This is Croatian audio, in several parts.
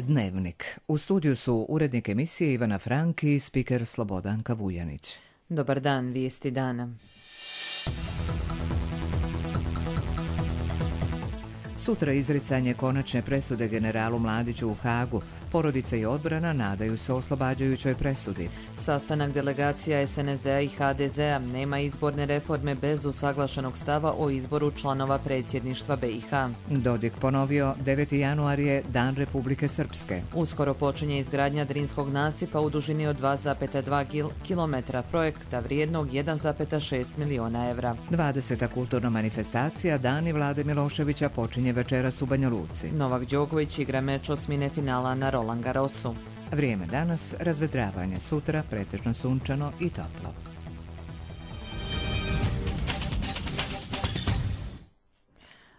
Dnevnik. U studiju su urednik emisije Ivana Frank i spiker Slobodanka Vujanić. Dobar dan, vijesti dana. Sutra izricanje konačne presude generalu Mladiću u Hagu. Porodica i odbrana nadaju se oslobađajućoj presudi. Sastanak delegacija SNSD-a i HDZ-a. Nema izborne reforme bez usaglašenog stava o izboru članova predsjedništva BiH. Dodik ponovio, 9. januar je Dan Republike Srpske. Uskoro počinje izgradnja Drinskog nasipa u dužini od 2,2 km, projekta vrijednog 1,6 miliona evra. 20. kulturna manifestacija Dani Vlade Miloševića počinje večeras u Banja Luci. Novak Đoković igra meč osmine finala na Roland Garrosu. Vrijeme danas, razvedravanje, sutra pretežno sunčano i toplo.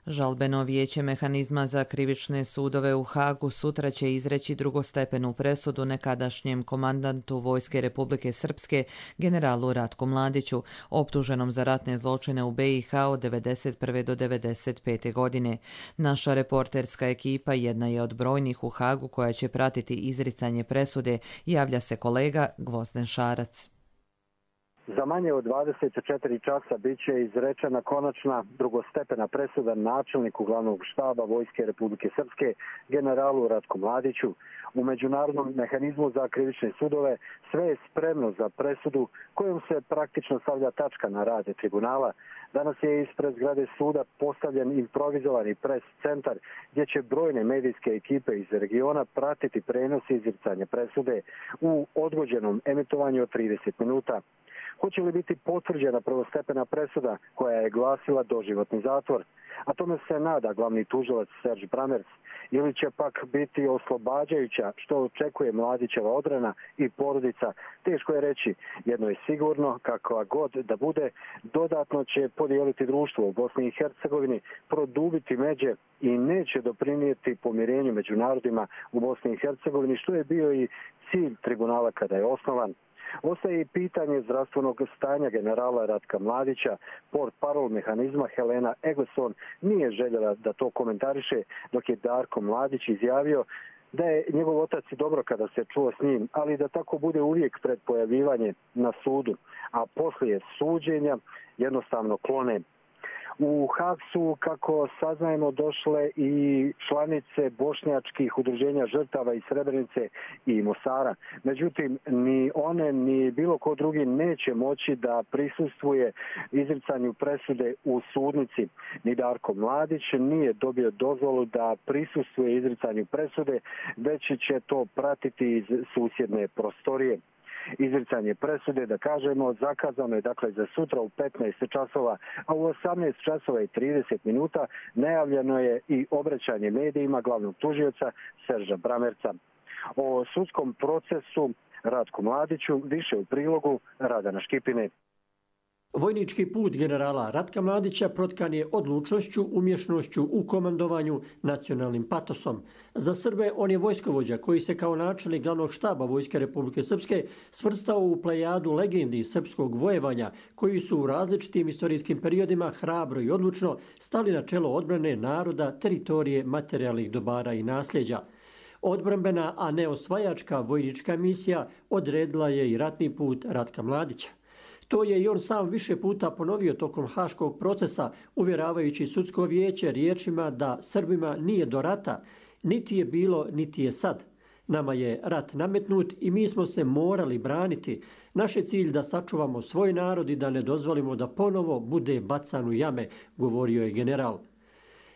Žalbeno vijeće mehanizma za krivične sudove u Hagu sutra će izreći drugostepenu presudu nekadašnjem komandantu Vojske Republike Srpske, generalu Ratku Mladiću, optuženom za ratne zločine u BiH od 1991. do 1995. godine. Naša reporterska ekipa jedna je od brojnih u Hagu koja će pratiti izricanje presude, javlja se kolega Gvozden Šarac. Za manje od 24 časa bit će izrečena konačna drugostepena presuda načelniku glavnog štaba Vojske Republike Srpske, generalu Ratku Mladiću. U međunarodnom mehanizmu za krivične sudove sve je spremno za presudu kojom se praktično stavlja tačka na rad tribunala. Danas je ispred zgrade suda postavljen improvizovani pres centar gdje će brojne medijske ekipe iz regiona pratiti prenos izricanja presude u odgođenom emitovanju od 30 minuta. Hoće li biti potvrđena prvostepena presuda koja je glasila doživotni zatvor? A tome se nada glavni tužilac Serge Brammertz. Ili će pak biti oslobađajuća što očekuje Mladićeva odbrana i porodica? Teško je reći. Jedno je sigurno, kakva god da bude, dodatno će podijeliti društvo u Bosni i Hercegovini, produbiti međe i neće doprinijeti pomirenju među narodima u Bosni i Hercegovini, što je bio i cilj tribunala kada je osnovan. Ostaje i pitanje zdravstvenog stanja generala Ratka Mladića. Portparol mehanizma Helena Egleson nije željela da to komentariše, dok je Darko Mladić izjavio da je njegov otac i dobro kada se čuo s njim, ali da tako bude uvijek pred pojavljivanje na sudu, a poslije suđenja jednostavno klone. U Hag su, kako saznajemo, došle i članice bošnjačkih udruženja žrtava iz Srebrenice i Mosara. Međutim, ni one ni bilo ko drugi neće moći da prisustvuje izricanju presude u sudnici. Ni Darko Mladić nije dobio dozvolu da prisustvuje izricanju presude, već će to pratiti iz susjedne prostorije. Izricanje presude, da kažemo, zakazano je dakle za sutra u 15 časova, a u 18 časova i 30 minuta najavljeno je i obraćanje medijima glavnog tužioca Serža Brammertza. O sudskom procesu Ratku Mladiću više u prilogu Radana Škipine. Vojnički put generala Ratka Mladića protkan je odlučnošću, umješnošću u komandovanju, nacionalnim patosom. Za Srbe on je vojskovođa koji se kao načelnik glavnog štaba Vojske Republike Srpske svrstao u plejadu legendi srpskog vojevanja koji su u različitim istorijskim periodima hrabro i odlučno stali na čelo odbrane naroda, teritorije, materijalnih dobara i nasljeđa. Odbrambena, a ne osvajačka vojnička misija odredila je i ratni put Ratka Mladića. To je i on sam više puta ponovio tokom haškog procesa, uvjeravajući sudsko vijeće riječima da Srbima nije do rata, niti je bilo, niti je sad. Nama je rat nametnut i mi smo se morali braniti. Naš je cilj da sačuvamo svoj narod i da ne dozvolimo da ponovo bude bacan u jame, govorio je general.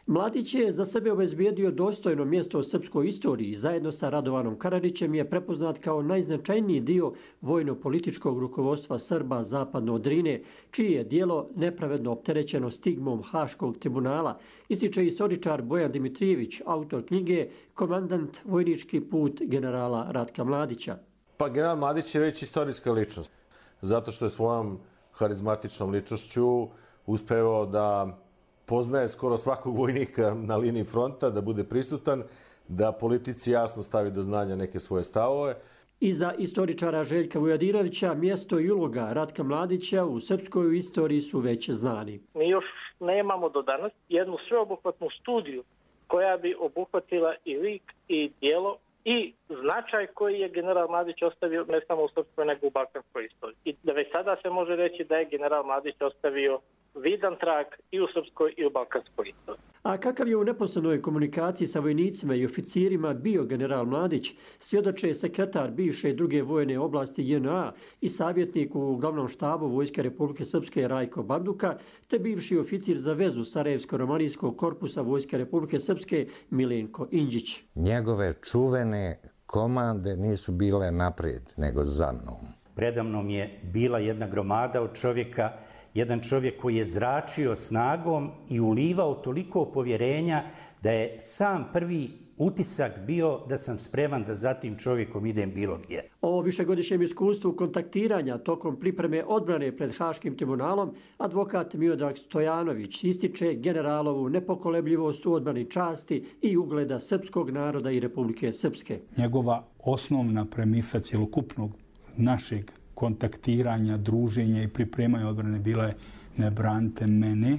Mladić je za sebe obezbijedio dostojno mjesto u srpskoj istoriji i zajedno sa Radovanom Karadžićem je prepoznat kao najznačajniji dio vojno-političkog rukovodstva Srba zapadno od Drine, čije je djelo nepravedno opterećeno stigmom Haškog tribunala, ističe istoričar Bojan Dimitrijević, autor knjige Komandant vojnički put generala Ratka Mladića. Pa general Mladić je već istorijska ličnost, zato što je svojom harizmatičnom ličnošću uspeo da poznaje skoro svakog vojnika na liniji fronta, da bude prisutan, da politici jasno stavi do znanja neke svoje stavove. Iza istoričara Željka Vujadinovića mjesto i uloga Ratka Mladića u srpskoj istoriji su već znani. Mi još nemamo do danas jednu sveobuhvatnu studiju koja bi obuhvatila i lik i djelo i značaj koji je general Mladić ostavio ne samo u srpskoj nego u balkanskoj istoriji. I da već sada se može reći da je general Mladić ostavio vidan trag i u srpskoj i u balkanskoj istoriji. A kakav je u neposrednoj komunikaciji sa vojnicima i oficirima bio general Mladić, svjedoče sekretar bivše druge vojne oblasti JNA i savjetnik u glavnom štabu Vojske Republike Srpske Rajko Banduka, te bivši oficir za vezu Sarajevsko-romanijskog korpusa Vojske Republike Srpske Milenko Indžić. Njegove čuvene komande nisu bile naprijed, nego za mnom. Predamnom je bila jedna gromada od čovjeka, jedan čovjek koji je zračio snagom i ulivao toliko povjerenja da je sam prvi utisak bio da sam spreman da za tim čovjekom idem bilo gdje. O višegodišnjem iskustvu kontaktiranja tokom pripreme odbrane pred Haškim tribunalom advokat Miodrag Stojanović ističe generalovu nepokolebljivost u odbrani časti i ugleda srpskog naroda i Republike Srpske. Njegova osnovna premisa cjelokupnog našeg kontaktiranja, druženja i pripremanja odbrane bila je ne branite mene,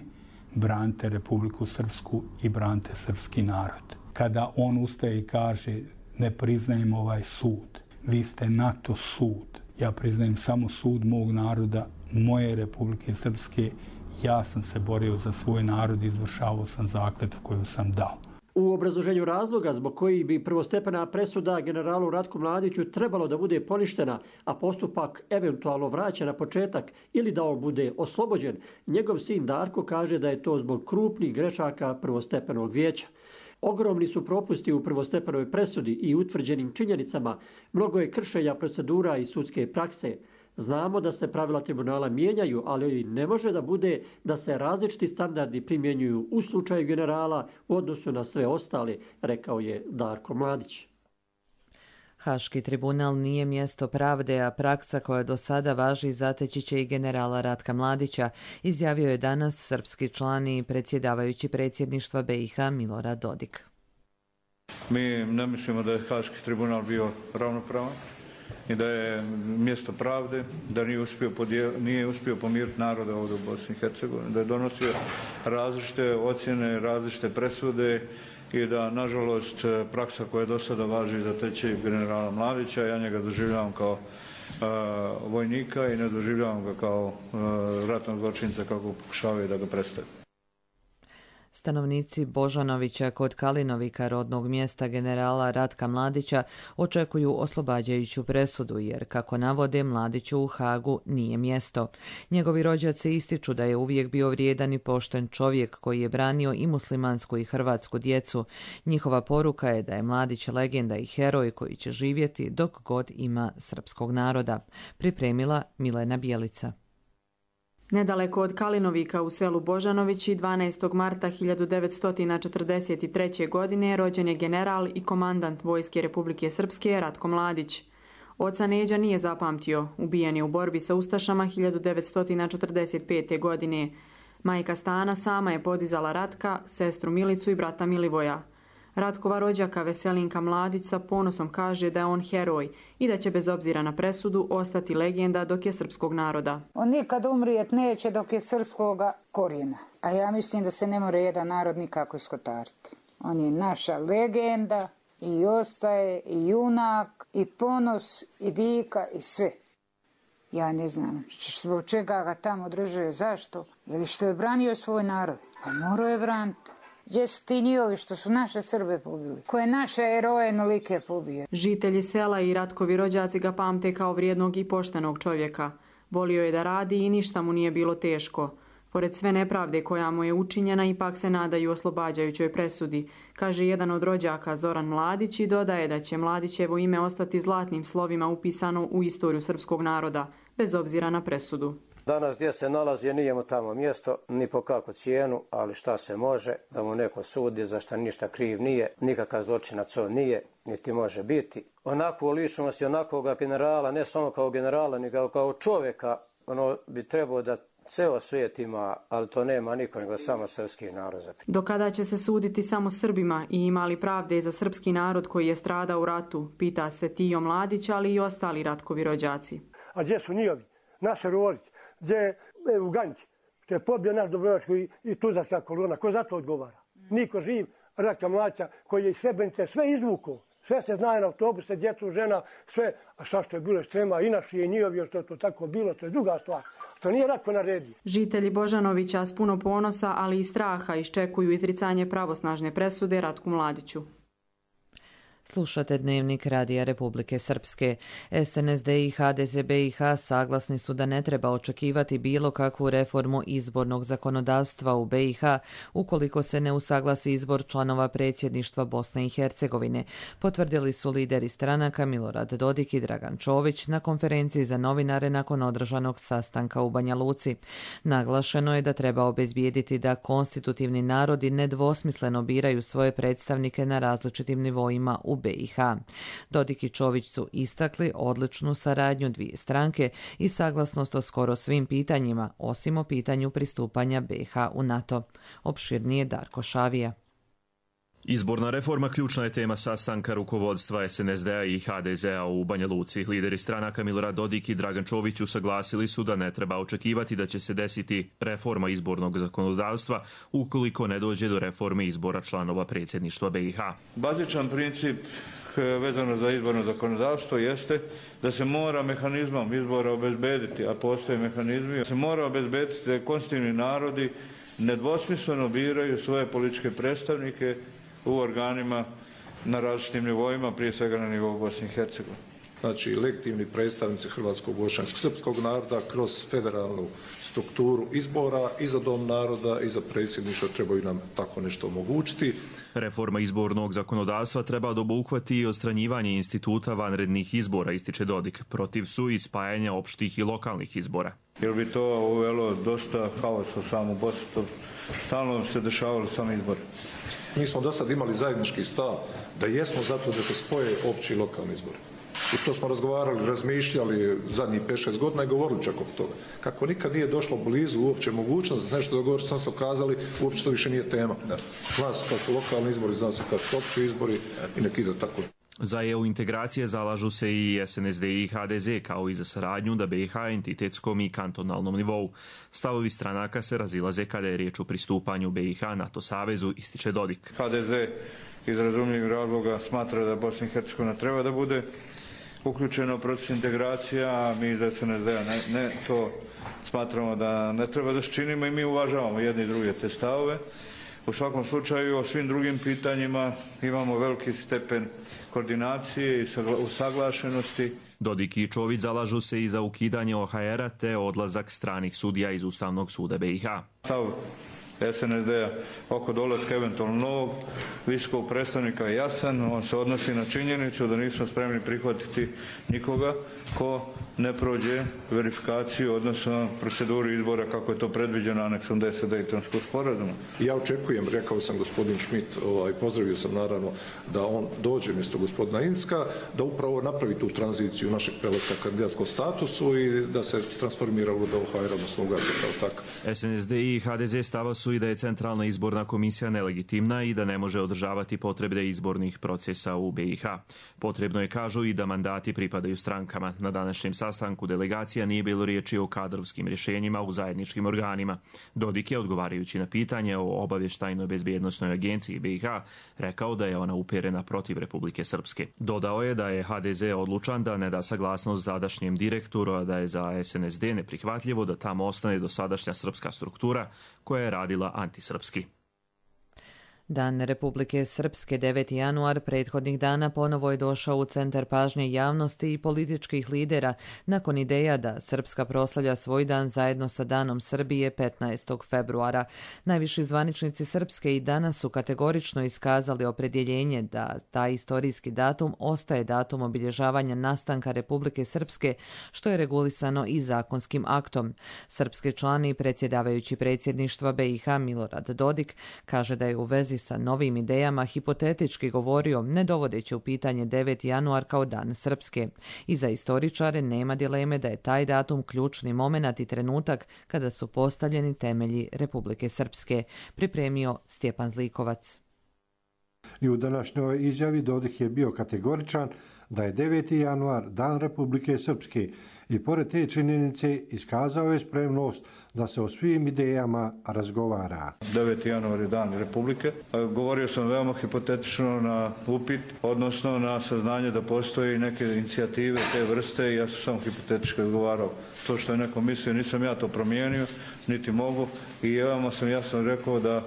branite Republiku Srpsku i branite srpski narod. Kada on ustaje i kaže ne priznajem ovaj sud, vi ste NATO sud, ja priznajem samo sud mog naroda, moje Republike Srpske, ja sam se borio za svoj narod i izvršavao sam zakletvu koju sam dao. U obrazloženju razloga zbog kojih bi prvostepena presuda generalu Ratku Mladiću trebalo da bude poništena, a postupak eventualno vraća na početak ili da on bude oslobođen, njegov sin Darko kaže da je to zbog krupnih grešaka prvostepenog vijeća. Ogromni su propusti u prvostepenoj presudi i utvrđenim činjenicama, mnogo je kršenja procedura i sudske prakse. Znamo da se pravila tribunala mijenjaju, ali ne može da bude da se različiti standardi primjenjuju u slučaju generala u odnosu na sve ostale, rekao je Darko Mladić. Haški tribunal nije mjesto pravde, a praksa koja do sada važi zateći će i generala Ratka Mladića, izjavio je danas srpski član i predsjedavajući predsjedništva BiH Milorad Dodik. Mi ne mislimo da je Haški tribunal bio ravnopravan i da je mjesto pravde, da nije uspio pomiriti naroda ovdje u Bosni i Hercegovini, da je donosio različite ocjene, različite presude i da, nažalost, praksa koja do sada važi zateći generala Mladića, ja njega doživljavam kao vojnika i ne doživljavam ga kao ratnog zločinca kako pokušavaju da ga predstave. Stanovnici Božanovića kod Kalinovika, rodnog mjesta generala Ratka Mladića, očekuju oslobađajuću presudu jer, kako navode, Mladiću u Hagu nije mjesto. Njegovi rođaci ističu da je uvijek bio vrijedan i pošten čovjek koji je branio i muslimansku i hrvatsku djecu. Njihova poruka je da je Mladić legenda i heroj koji će živjeti dok god ima srpskog naroda. Pripremila Milena Bjelica. Nedaleko od Kalinovika u selu Božanovići 12. marta 1943. godine rođen je general i komandant Vojske Republike Srpske Ratko Mladić. Oca Neđa nije zapamtio, ubijen je u borbi sa ustašama 1945. godine. Majka Stana sama je podizala Ratka, sestru Milicu i brata Milivoja. Ratkova rođaka Veselinka Mladić sa ponosom kaže da je on heroj i da će bez obzira na presudu ostati legenda dok je srpskog naroda. On nikad umrijet neće dok je srpskoga korijena. A ja mislim da se ne more jedan narod nikako iskotariti. On je naša legenda i ostaje i junak i ponos i dika i sve. Ja ne znam zbog čega ga tamo drže, zašto? Ili što je branio svoj narod? Pa morao je braniti. Gdje su ti njihovi što su naše Srbe pobili? Koje naše heroje nolike pobije? Žitelji sela i Ratkovi rođaci ga pamte kao vrijednog i poštenog čovjeka. Volio je da radi i ništa mu nije bilo teško. Pored sve nepravde koja mu je učinjena, ipak se nadaju oslobađajućoj presudi, kaže jedan od rođaka Zoran Mladić i dodaje da će Mladićevo ime ostati zlatnim slovima upisano u istoriju srpskog naroda, bez obzira na presudu. Danas gdje se nalazi nije mu tamo mjesto, ni po kakvu cijenu, ali šta se može, da mu neko sudi za šta ništa kriv nije, nikakav zločinac on nije, niti može biti. Onakvu ličnost i onakvoga generala, ne samo kao generala, nego kao čovjeka, ono bi trebao da ceo svijet ima, ali to nema niko, nego samo srpski narod. Do kada će se suditi samo Srbima i ima li pravde za srpski narod koji je stradao u ratu, pita se Tijo Mladić, ali i ostali Ratkovi rođaci. A gdje su njihovi? Naše Rolić, gdje je u Ganji, što je pobio naš Dobrovački i Tuzarska kolona, ko za to odgovara? Niko živ, Ratka Mladića koji je iz Srebrenice sve izvukao, Sve se zna na autobuse, djecu, žena, sve. A šta što je bilo ekstrema i naši i njihovi, što je to tako bilo, to je druga stvar. To nije Ratko naredio. Žitelji Božanovića s puno ponosa, ali i straha iščekuju izricanje pravosnažne presude Ratku Mladiću. Slušate Dnevnik Radija Republike Srpske. SNSD i HDZ BiH saglasni su da ne treba očekivati bilo kakvu reformu izbornog zakonodavstva u BiH ukoliko se ne usaglasi izbor članova predsjedništva Bosne i Hercegovine, potvrdili su lideri stranaka Milorad Dodik i Dragan Čović na konferenciji za novinare nakon održanog sastanka u Banja Luci. Naglašeno je da treba obezbijediti da konstitutivni narodi nedvosmisleno biraju svoje predstavnike na različitim nivoima u BiH. Dodik i Čović su istakli odličnu saradnju dvije stranke i saglasnost o skoro svim pitanjima, osim o pitanju pristupanja BiH u NATO. Opširnije Darko Šavija. Izborna reforma ključna je tema sastanka rukovodstva SNSD-a i HDZ-a u Banja Luci. Lideri stranaka Milorad Dodik i Dragan Čović usaglasili su da ne treba očekivati da će se desiti reforma izbornog zakonodavstva ukoliko ne dođe do reforme izbora članova predsjedništva BiH. Bazičan princip vezano za izborno zakonodavstvo jeste da se mora mehanizmom izbora obezbediti, a postoje mehanizmi, se mora obezbediti da konstitutivni narodi nedvosmisleno biraju svoje političke predstavnike u organima na različitim nivoima, prije svega na nivou Bosne i Hercegovine. Znači, legitimni predstavnici hrvatskog, bošnjanskog, srpskog naroda kroz federalnu strukturu izbora i za dom naroda i za predsjedništvo trebaju nam tako nešto omogućiti. Reforma izbornog zakonodavstva treba da obuhvati i odstranjivanje instituta vanrednih izbora, ističe Dodik. Protiv su i spajanja opštih i lokalnih izbora. Jer bi to uvelo dosta haosa u samu Bosnu, stalno se dešavalo sami izbori. Mi smo do sad imali zajednički stav da jesmo zato da se spoje opći i lokalni izbori. I to smo razgovarali, razmišljali zadnjih 5-6 godina i govorili čak oko toga. Kako nikad nije došlo blizu uopće mogućnost da se nešto dogovori, sam se okazali, uopće to više nije tema. Zna se kad su lokalni izbori, zna se kad su opći izbori i nek ide tako. Za EU integracije zalažu se i SNSD i HDZ, kao i za saradnju da BiH entitetskom i kantonalnom nivou. Stavovi stranaka se razilaze kada je riječ o pristupanju BiH NATO savezu, ističe Dodik. HDZ iz razumljivih razloga smatra da Bosna i Hercegovina treba da bude uključeno u proces integracija, a mi iz SNSD-a ne to smatramo da ne treba da se činimo i mi uvažavamo jedni i druge te stavove. U svakom slučaju, o svim drugim pitanjima imamo veliki stepen koordinacije i usaglašenosti. Dodik i Čović zalažu se i za ukidanje OHR-a te odlazak stranih sudija iz Ustavnog suda BiH. Stav SNSD-a oko dolaska eventualno novog visokog predstavnika je jasan. On se odnosi na činjenicu da nismo spremni prihvatiti nikoga ko ne prođe verifikaciju, odnosno proceduru izbora kako je to predviđeno aneksom 10 Dejtonskog sporazuma. Ja očekujem, rekao sam gospodin Schmidt, pozdravio sam naravno da on dođe mjesto gospodina Inska, da upravo napravi tu tranziciju našeg prelaska kandidatskom statusu i da se transformira u OHR, odnosno ugasi kao takav. SNSD i HDZ stava su i da je Centralna izborna komisija nelegitimna i da ne može održavati potrebe izbornih procesa u BiH. Potrebno je, kažu, i da mandati pripadaju strankama. Na današnjem sastanku delegacija nije bilo riječi o kadrovskim rješenjima u zajedničkim organima. Dodik je, odgovarajući na pitanje o obavještajnoj bezbjednosnoj agenciji BiH, rekao da je ona uperena protiv Republike Srpske. Dodao je da je HDZ odlučan da ne da saglasnost sadašnjem direktoru, a da je za SNSD neprihvatljivo da tamo ostane dosadašnja srpska struktura koja je radila antisrpski. Dan Republike Srpske 9. januar prethodnih dana ponovo je došao u centar pažnje javnosti i političkih lidera nakon ideja da Srpska proslavlja svoj dan zajedno sa Danom Srbije 15. februara. Najviši zvaničnici Srpske i danas su kategorično iskazali opredjeljenje da taj istorijski datum ostaje datum obilježavanja nastanka Republike Srpske, što je regulisano i zakonskim aktom. Srpski član i predsjedavajući predsjedništva BiH Milorad Dodik kaže da je u vezi sa novim idejama hipotetički govorio, ne dovodeći u pitanje 9. januar kao dan Srpske. I za istoričare nema dileme da je taj datum ključni moment i trenutak kada su postavljeni temelji Republike Srpske, pripremio Stjepan Zlikovac. I u današnjoj izjavi Dodik je bio kategoričan da je 9. januar dan Republike Srpske i pored te činjenice iskazao je spremnost da se o svim idejama razgovara. 9. januar je dan Republike. Govorio sam veoma hipotetično na upit, odnosno na saznanje da postoji neke inicijative te vrste i ja sam samo hipotetički odgovarao. To što je neko mislio, nisam ja to promijenio, niti mogu i veoma sam jasno rekao da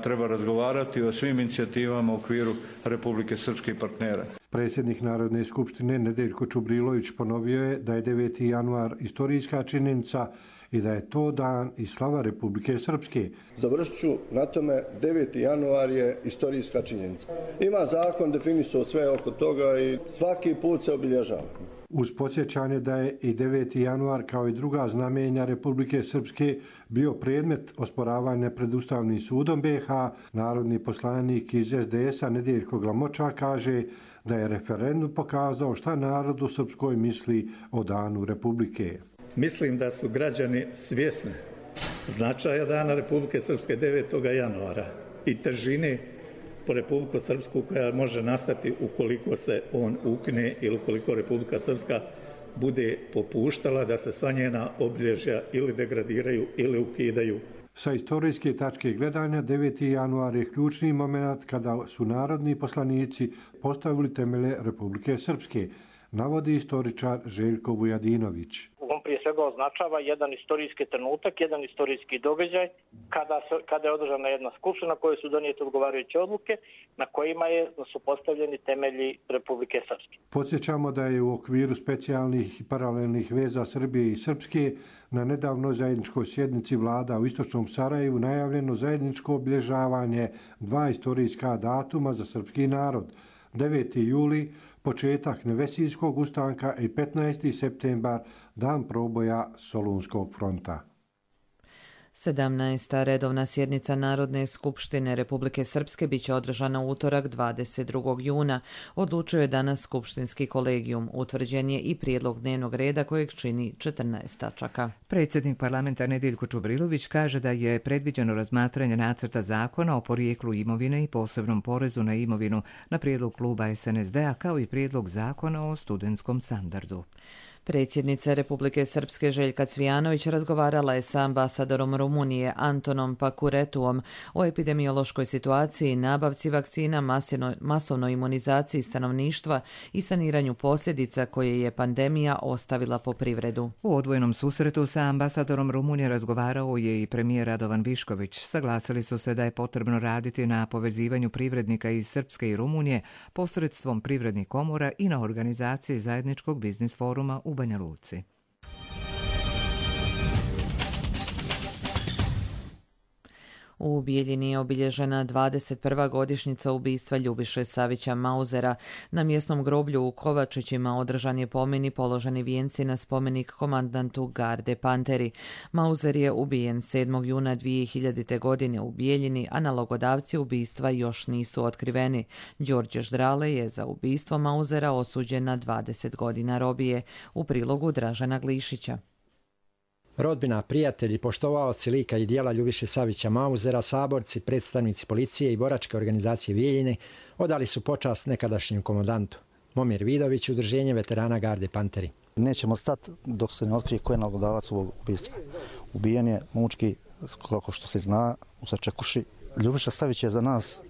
treba razgovarati o svim inicijativama u okviru Republike Srpske i partnera. Predsjednik Narodne skupštine Nedeljko Čubrilović ponovio je da je 9. januar istorijska činjenica i da je to dan i slava Republike Srpske. Završit ću na tome, 9. januar je istorijska činjenica. Ima zakon definisao sve oko toga i svaki put se obilježava. Uz podsjećanje da je i 9. januar kao i druga znamenja Republike Srpske bio predmet osporavanja pred Ustavnim sudom BiH, narodni poslanik iz SDS-a Nedeljko Glamoča kaže da je referendum pokazao šta narod u Srpskoj misli o danu Republike. Mislim da su građani svjesni značaja dana Republike Srpske 9. januara i težine po Republiku Srpsku koja može nastati ukoliko se on ukine ili ukoliko Republika Srpska bude popuštala da se sva njena obilježja ili degradiraju ili ukidaju. Sa istorijske tačke gledanja 9. januar je ključni moment kada su narodni poslanici postavili temelje Republike Srpske, navodi istoričar Željko Vujadinović. On prije svega označava jedan istorijski trenutak, jedan istorijski događaj kada je održana jedna skupština koje su donijete odgovarajuće odluke na kojima su postavljeni temelji Republike Srpske. Podsjećamo da je u okviru specijalnih i paralelnih veza Srbije i Srpske na nedavnoj zajedničkoj sjednici vlada u Istočnom Sarajevu najavljeno zajedničko obilježavanje dva istorijska datuma za srpski narod. 9. juli, početak Nevesijskog ustanka i 15. septembar, dan proboja Solunskog fronta. 17. redovna sjednica Narodne skupštine Republike Srpske biće održana u utorak 22. juna. Odlučio je danas skupštinski kolegijum. Utvrđen je i prijedlog dnevnog reda kojeg čini 14 tačaka. Predsjednik parlamenta Nedeljko Čubrilović kaže da je predviđeno razmatranje nacrta zakona o porijeklu imovine i posebnom porezu na imovinu na prijedlog kluba SNSD-a kao i prijedlog zakona o studentskom standardu. Predsjednica Republike Srpske Željka Cvijanović razgovarala je sa ambasadorom Rumunije Antonom Pakuretuom o epidemiološkoj situaciji, nabavci vakcina, masovnoj imunizaciji stanovništva i saniranju posljedica koje je pandemija ostavila po privredu. U odvojenom susretu sa ambasadorom Rumunije razgovarao je i premijer Radovan Višković. Saglasili su se da je potrebno raditi na povezivanju privrednika iz Srpske i Rumunije posredstvom privrednih komora i na organizaciji zajedničkog biznis foruma u Banja Luci. U Bijeljini je obilježena 21. godišnjica ubistva Ljubiše Savića Mauzera. Na mjesnom groblju u Kovačićima održan je pomen i položeni vijenci na spomenik komandantu garde Panteri. Mauzer je ubijen 7. juna 2000. godine u Bijeljini, a nalogodavci ubistva još nisu otkriveni. Đorđe Ždrale je za ubistvo Mauzera osuđen na 20 godina robije. U prilogu Dražena Glišića. Rodbina, prijatelji, poštovaoci lika i dijela Ljubiše Savića Mauzera, saborci, predstavnici policije i boračke organizacije Bijeljine odali su počast nekadašnjem komandantu. Momir Vidović, udruženje veterana garde Panteri. Nećemo stati dok se ne otkrije ko je nalogodavac ovog ubistva. Ubijen je mučki, kako što se zna, u Sačekuši. Ljubiša Savić je za nas,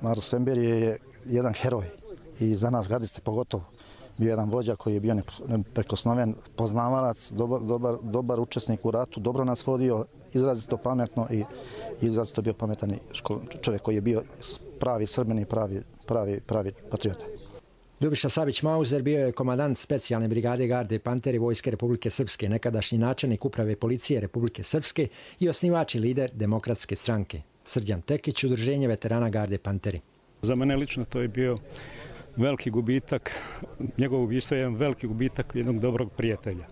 narod Semberije, je jedan heroj i za nas gardiste pogotovo. Bio jedan vođa koji je bio neprekosnoven, poznavalac, dobar učesnik u ratu, dobro nas vodio, izrazito pametno i izrazito bio pametan čovjek koji je bio pravi Srbin i pravi patriota. Ljubiša Savić Mauzer bio je komandant specijalne brigade garde Panteri Vojske Republike Srpske, nekadašnji načelnik uprave policije Republike Srpske i osnivač i lider Demokratske stranke. Srđan Tekić, udruženje veterana garde Panteri. Za mene lično to je bio veliki gubitak, njegov ubistvo je jedan veliki gubitak jednog dobrog prijatelja.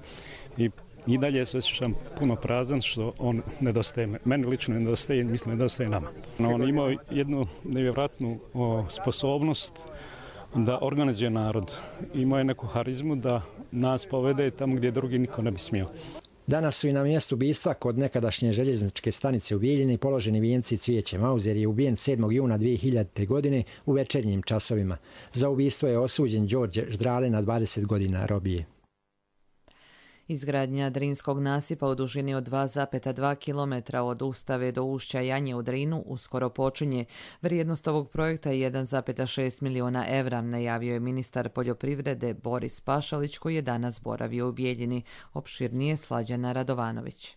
I dalje se osjećam puno prazan što on nedostaje. Meni lično nedostaje, mislim nedostaje nama. On imao jednu nevjerojatnu sposobnost da organizuje narod. Imao je neku harizmu da nas povede tamo gdje drugi niko ne bi smio. Danas su i na mjestu ubistva kod nekadašnje željezničke stanice u Bijeljini položeni vijenci i cvijeće. Mauzer je ubijen 7. juna 2000. godine u večernjim časovima. Za ubistvo je osuđen Đorđe Ždrale na 20 godina robije. Izgradnja Drinskog nasipa u dužini od 2,2 km od Ustave do ušća Janje u Drinu uskoro počinje. Vrijednost ovog projekta je 1,6 miliona evra, najavio je ministar poljoprivrede Boris Pašalić koji je danas boravio u Bijeljini. Opširnije Slađana Radovanović.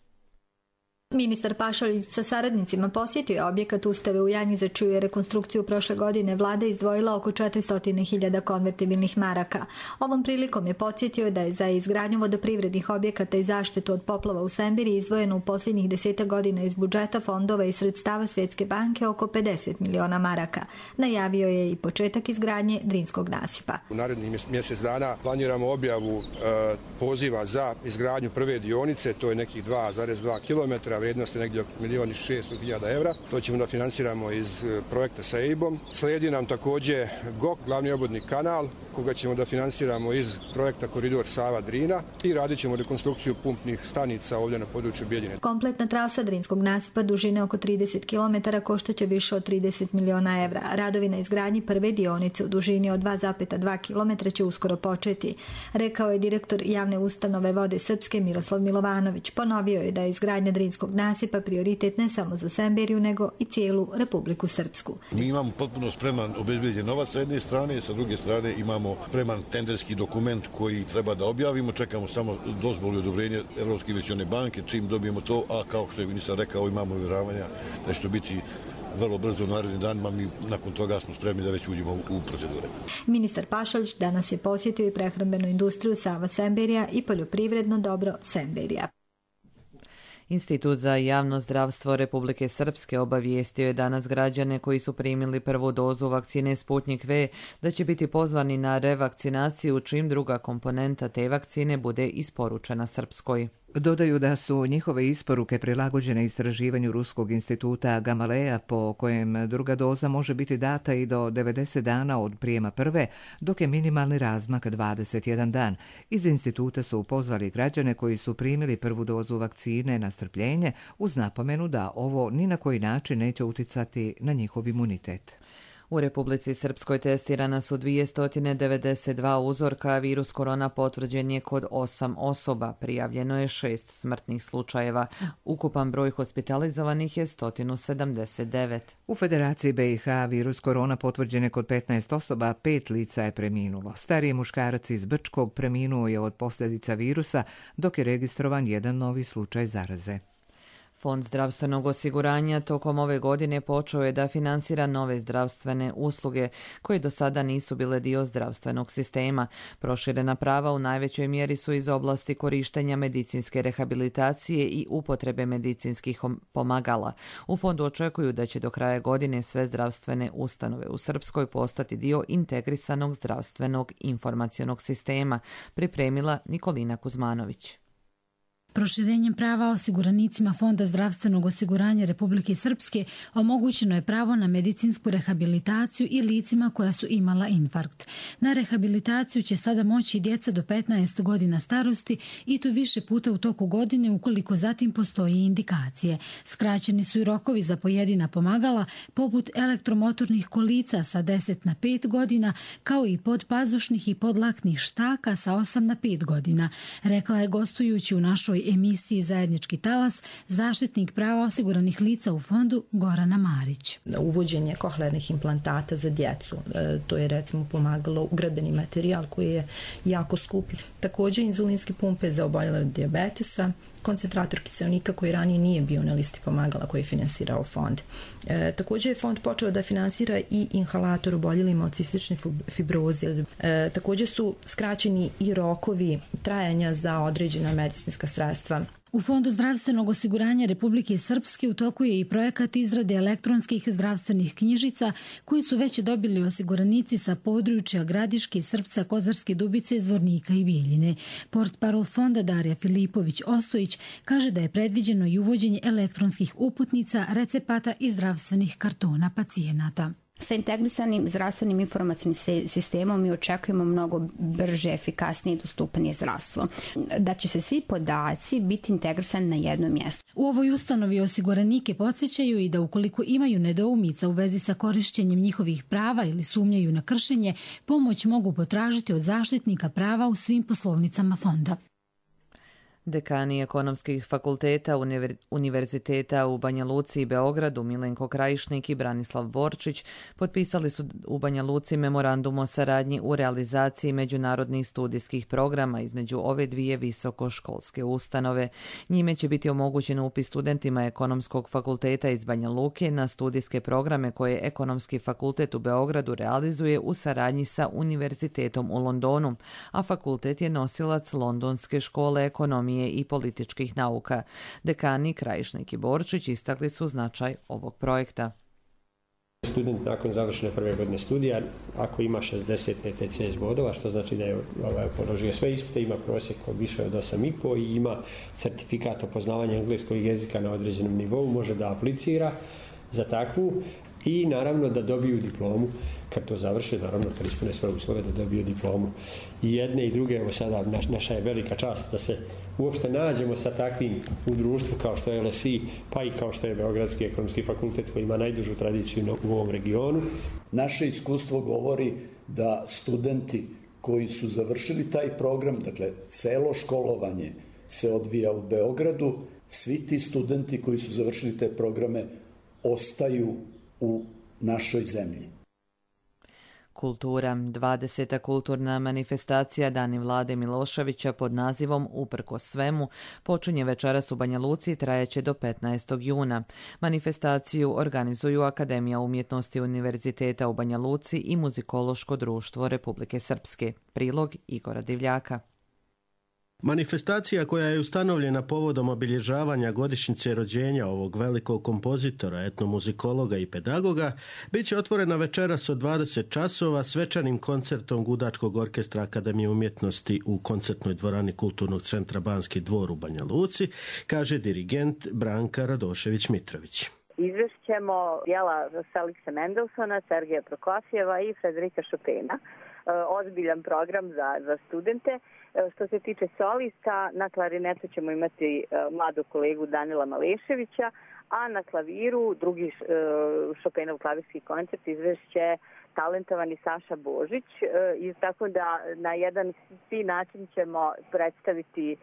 Ministar Pašalić sa saradnicima posjetio je objekat Ustave u Janji za čiju je rekonstrukciju prošle godine vlada izdvojila oko 400.000 konvertibilnih maraka. Ovom prilikom je podsjetio da je za izgradnju vodoprivrednih objekata i zaštitu od poplava u Sembiri izdvojeno u posljednjih 10 godina iz budžeta fondova i sredstava Svjetske banke oko 50 miliona maraka. Najavio je i početak izgradnje Drinskog nasipa. U narednih mjesec dana planiramo objavu poziva za izgradnju prve dionice, to je nekih 2,2 km, vrijednost je negdje oko 1.600.000 evra. To ćemo da finansiramo iz projekta sa EIB-om. Slijedi nam također GOK, glavni obodni kanal, koga ćemo da finansiramo iz projekta Koridor Sava-Drina i radit ćemo rekonstrukciju pumpnih stanica ovdje na području Bijeljine. Kompletna trasa Drinskog nasipa dužine oko 30 km koštaće više od 30 miliona evra. Radovi na izgradnji prve dionice u dužini od 2,2 km će uskoro početi, rekao je direktor javne ustanove Vode Srpske Miroslav Milovanović. Ponovio je da je izgradnja Drinskog nasipa prioritet ne samo za Semberiju, nego i cijelu Republiku Srpsku. Mi imamo potpuno spreman obezbijeđen novac sa jedne strane, sa druge strane imamo spreman tenderski dokument koji treba da objavimo, čekamo samo dozvolu i odobrenje Europske investicione banke, čim dobijemo to, a kao što je ministar rekao, imamo uvjeravanja da će to biti vrlo brzo u narednim danima, mi nakon toga smo spremni da već uđemo u procedure. Ministar Pašalić danas je posjetio i prehrambenu industriju Sava Semberija i poljoprivredno dobro Semberija. Institut za javno zdravstvo Republike Srpske obavijestio je danas građane koji su primili prvu dozu vakcine Sputnik V da će biti pozvani na revakcinaciju čim druga komponenta te vakcine bude isporučena Srpskoj. Dodaju da su njihove isporuke prilagođene istraživanju Ruskog instituta Gamaleja po kojem druga doza može biti data i do 90 dana od prijema prve, dok je minimalni razmak 21 dan. Iz instituta su pozvali građane koji su primili prvu dozu vakcine na strpljenje uz napomenu da ovo ni na koji način neće uticati na njihov imunitet. U Republici Srpskoj testirana su 292 uzorka, virus korona potvrđen je kod 8 osoba, prijavljeno je 6 smrtnih slučajeva. Ukupan broj hospitalizovanih je 179. U Federaciji BiH virus korona potvrđen je kod 15 osoba, 5 lica je preminulo. Stariji muškarac iz Brčkog preminuo je od posljedica virusa, dok je registrovan jedan novi slučaj zaraze. Fond zdravstvenog osiguranja tokom ove godine počeo je da finansira nove zdravstvene usluge koje do sada nisu bile dio zdravstvenog sistema. Proširena prava u najvećoj mjeri su iz oblasti korištenja medicinske rehabilitacije i upotrebe medicinskih pomagala. U fondu očekuju da će do kraja godine sve zdravstvene ustanove u Srpskoj postati dio integrisanog zdravstvenog informacionog sistema, pripremila Nikolina Kuzmanović. Proširenjem prava osiguranicima Fonda zdravstvenog osiguranja Republike Srpske omogućeno je pravo na medicinsku rehabilitaciju i licima koja su imala infarkt. Na rehabilitaciju će sada moći djeca do 15 godina starosti i to više puta u toku godine ukoliko zatim postoje indikacije. Skraćeni su i rokovi za pojedina pomagala poput elektromotornih kolica sa 10 na 5 godina kao i podpazušnih i podlaknih štaka sa 8 na 5 godina, rekla je gostujući u našoj emisiji Zajednički talas zaštitnik prava osiguranih lica u fondu Gorana Marić. Uvođenje kohlearnih implantata za djecu, to je recimo pomagalo ugradbeni materijal koji je jako skup. Također inzulinske pumpe za oboljele od dijabetesa, koncentrator kiseonika koji ranije nije bio na listi pomagala koji je finansirao fond. Također je fond počeo da finansira i inhalator oboljelima od cistične fibroze. Također su skraćeni i rokovi trajanja za određena medicinska sredstva. U Fondu zdravstvenog osiguranja Republike Srpske u toku je i projekat izrade elektronskih zdravstvenih knjižica koji su već dobili osiguranici sa područja Gradiške, Srpca, Kozarske Dubice, Zvornika i Bijeljine. Portparol fonda Darija Filipović-Ostojić kaže da je predviđeno i uvođenje elektronskih uputnica, recepata i zdravstvenih kartona pacijenata. Sa integrisanim zdravstvenim informacijnim sistemom mi očekujemo mnogo brže, efikasnije i dostupnije zdravstvo. Da će se svi podaci biti integrisani na jednom mjestu. U ovoj ustanovi osiguranike podsjećaju i da ukoliko imaju nedoumica u vezi sa korišćenjem njihovih prava ili sumnjaju na kršenje, pomoć mogu potražiti od zaštitnika prava u svim poslovnicama fonda. Dekani ekonomskih fakulteta Univerziteta u Banja Luci i Beogradu Milenko Krajišnik i Branislav Borčić potpisali su u Banja Luci memorandum o saradnji u realizaciji međunarodnih studijskih programa između ove dvije visokoškolske ustanove. Njime će biti omogućen upis studentima ekonomskog fakulteta iz Banja Luke na studijske programe koje Ekonomski fakultet u Beogradu realizuje u saradnji sa Univerzitetom u Londonu, a fakultet je nosilac Londonske škole ekonomije i političkih nauka. Dekani Krajišnik i Borčić istakli su značaj ovog projekta. Student nakon završene prve godine studija, ako ima 60 ETCS bodova, što znači da je položio sve ispite, ima prosjek više od 8,5 i ima certifikat o poznavanju engleskog jezika na određenom nivou, može da aplicira za takvu i naravno da dobiju diplomu kad to završe, naravno kad ispune svoje uslove da dobiju diplomu. I jedne i druge, evo sada naša je velika čast da se uopšte nađemo sa takvim u društvu kao što je LSI, pa i kao što je Beogradski ekonomski fakultet koji ima najdužu tradiciju u ovom regionu. Naše iskustvo govori da studenti koji su završili taj program, dakle celo školovanje se odvija u Beogradu, svi ti studenti koji su završili te programe ostaju u našoj zemlji. Kultura. 20. kulturna manifestacija Dani Vlade Miloševića pod nazivom Uprkos svemu počinje večeras u Banja Luci i trajeće do 15. juna. Manifestaciju organizuju Akademija umjetnosti Univerziteta u Banja Luci i Muzikološko društvo Republike Srpske. Prilog Igora Divljaka. Manifestacija koja je ustanovljena povodom obilježavanja godišnjice rođenja ovog velikog kompozitora, etnomuzikologa i pedagoga, bit će otvorena večeras od 20 časova svečanim koncertom Gudačkog orkestra Akademije umjetnosti u koncertnoj dvorani Kulturnog centra Banski dvor u Banja Luci, kaže dirigent Branka Radošević-Mitrović. Izvešćemo dijela Felixa Mendelssohna, Sergeja Prokofjeva i Frederika Chopina. Ozbiljan program za studente. Što se tiče solista, na klarinetu ćemo imati mladog kolegu Danila Maleševića, a na klaviru drugi Chopinov klavirski koncert izvešće talentovani Saša Božić. I tako da na jedan fin način ćemo predstaviti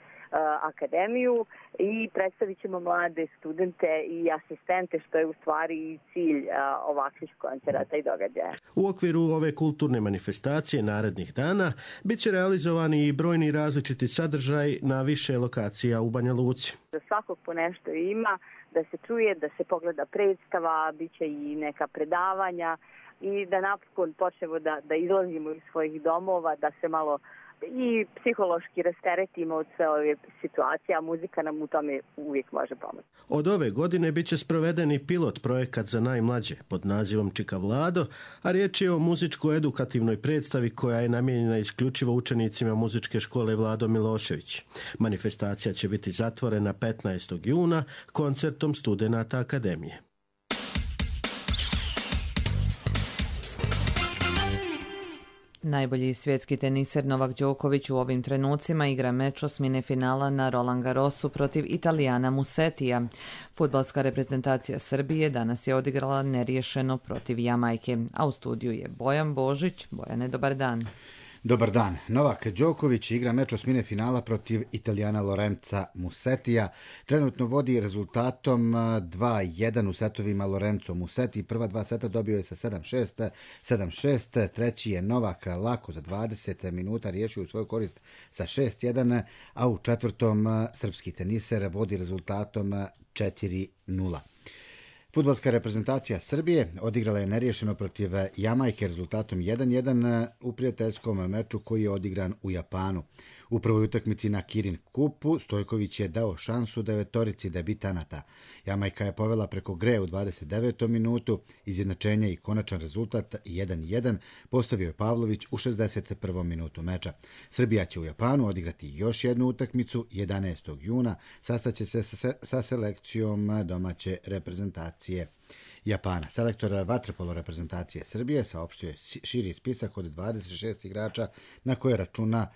akademiju i predstavit ćemo mlade studente i asistente, što je u stvari i cilj ovakvih koncerata i događaja. U okviru ove kulturne manifestacije narednih dana bit će realizovani i brojni različiti sadržaj na više lokacija u Banja Luci. Za svakog po nešto ima, da se čuje, da se pogleda predstava, bit će i neka predavanja i da napokon počnemo da izlazimo iz svojih domova, da se malo i psihološki rasteretimo od sve ove situacije, a muzika nam u tome uvijek može pomoći. Od ove godine bit će sproveden i pilot projekat za najmlađe pod nazivom Čika Vlado, a riječ je o muzičko-edukativnoj predstavi koja je namijenjena isključivo učenicima muzičke škole Vlado Milošević. Manifestacija će biti zatvorena 15. juna koncertom studenata Akademije. Najbolji svjetski teniser Novak Đoković u ovim trenucima igra meč osmine finala na Roland Garrosu protiv Italijana Musetija. Fudbalska reprezentacija Srbije danas je odigrala neriješeno protiv Jamajke, a u studiju je Bojan Božić. Bojane, dobar dan. Dobar dan. Novak Đoković igra meč osmine finala protiv Italijana Lorenza Musetija. Trenutno vodi rezultatom 2-1 u setovima Lorenzo Musetti. Prva dva seta dobio je sa 7-6, 7-6. Treći je Novak lako za 20 minuta riješio u svoju korist sa 6-1, a u četvrtom srpski teniser vodi rezultatom 4-0. Fudbalska reprezentacija Srbije odigrala je neriješeno protiv Jamajke rezultatom 1-1 u prijateljskom meču koji je odigran u Japanu. U prvoj utakmici na Kirin Kupu Stojković je dao šansu devetorici debitanata. Jamajka je povela preko Gre u 29. minutu, izjednačenje i konačan rezultat 1-1 postavio je Pavlović u 61. minutu meča. Srbija će u Japanu odigrati još jednu utakmicu 11. juna, sastaće se sa selekcijom domaće reprezentacije Japana. Selektor vaterpolo reprezentacije Srbije saopštio je širi spisak od 26 igrača na koje računa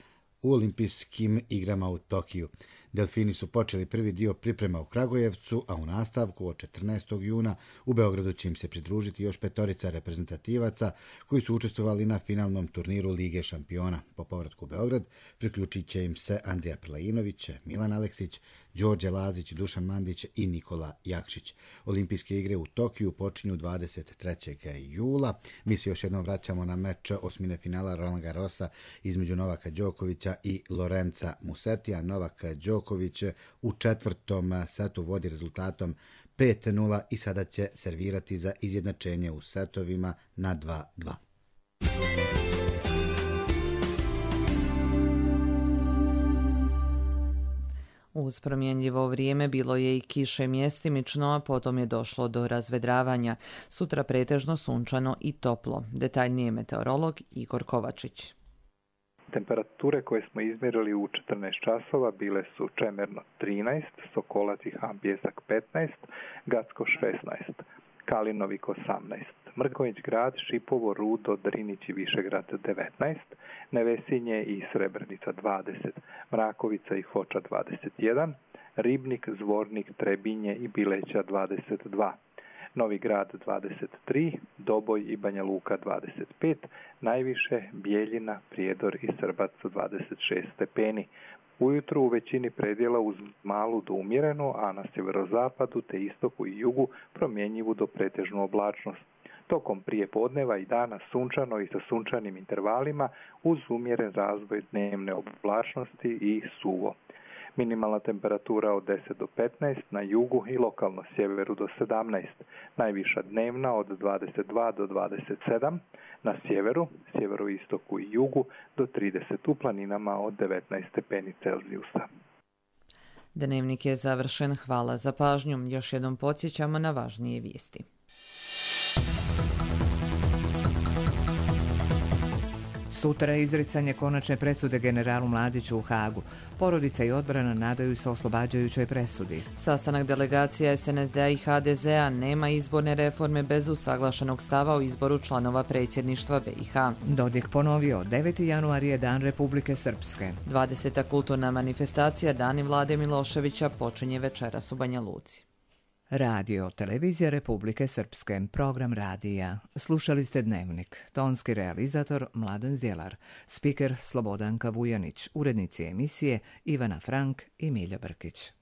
u olimpijskim igrama u Tokiju. Delfini su počeli prvi dio priprema u Kragujevcu, a u nastavku od 14. juna u Beogradu će im se pridružiti još 5 reprezentativaca koji su učestvovali na finalnom turniru Lige šampiona. Po povratku u Beograd priključit će im se Andrija Prlajinović, Milan Aleksić, Đorđe Lazić, Dušan Mandić i Nikola Jakšić. Olimpijske igre u Tokiju počinju 23. jula. Mi se još jednom vraćamo na meč osmine finala Roland Garrosa između Novaka Đokovića i Lorenza Musetija. Novak Đoković u 4. setu vodi rezultatom 5:0 i sada će servirati za izjednačenje u setovima na 2:2. Uz promjenjivo vrijeme bilo je i kiše mjestimično, a potom je došlo do razvedravanja. Sutra pretežno sunčano i toplo. Detaljnije meteorolog Igor Kovačić. Temperature koje smo izmjerili u 14 časova bile su Čemerno 13, Sokolac i Han Bljesak 15, Gacko 16, Kalinovik 18, Mrkonjić Grad, Šipovo, Rudo, Drinić i Višegrad 19, Nevesinje i Srebrenica 20, Mrakovica i Foča 21, Ribnik, Zvornik, Trebinje i Bileća 22, Novi Grad 23, Doboj i Banja Luka 25, najviše Bijeljina, Prijedor i Srbac 26 stepeni. Ujutru u većini predjela uz malu do umjerenu, a na sjeverozapadu te istoku i jugu promjenjivu do pretežnu oblačnost. Tokom prije podneva i dana sunčano i sa sunčanim intervalima uz umjeren razvoj dnevne oblačnosti i suvo. Minimalna temperatura od 10 do 15, na jugu i lokalno sjeveru do 17, najviša dnevna od 22 do 27, na sjeveru, sjeveroistoku i jugu do 30, u planinama od 19 stepeni Celzijusa. Dnevnik je završen, hvala za pažnju. Još jednom podsjećamo na važnije vijesti. Sutra je izricanje konačne presude generalu Mladiću u Hagu. Porodica i odbrana nadaju se oslobađajućoj presudi. Sastanak delegacija SNSD-a i HDZ-a: nema izborne reforme bez usaglašenog stava o izboru članova predsjedništva BiH. Dodik ponovio, 9. januar je Dan Republike Srpske. 20. kulturna manifestacija Dani Vlade Miloševića počinje večeras u Banja Luci. Radio, televizija Republike Srpske, program radija. Slušali ste Dnevnik. Tonski realizator Mladen Zjelar, spiker Slobodanka Vujanić, urednici emisije Ivana Frank i Milja Brkić.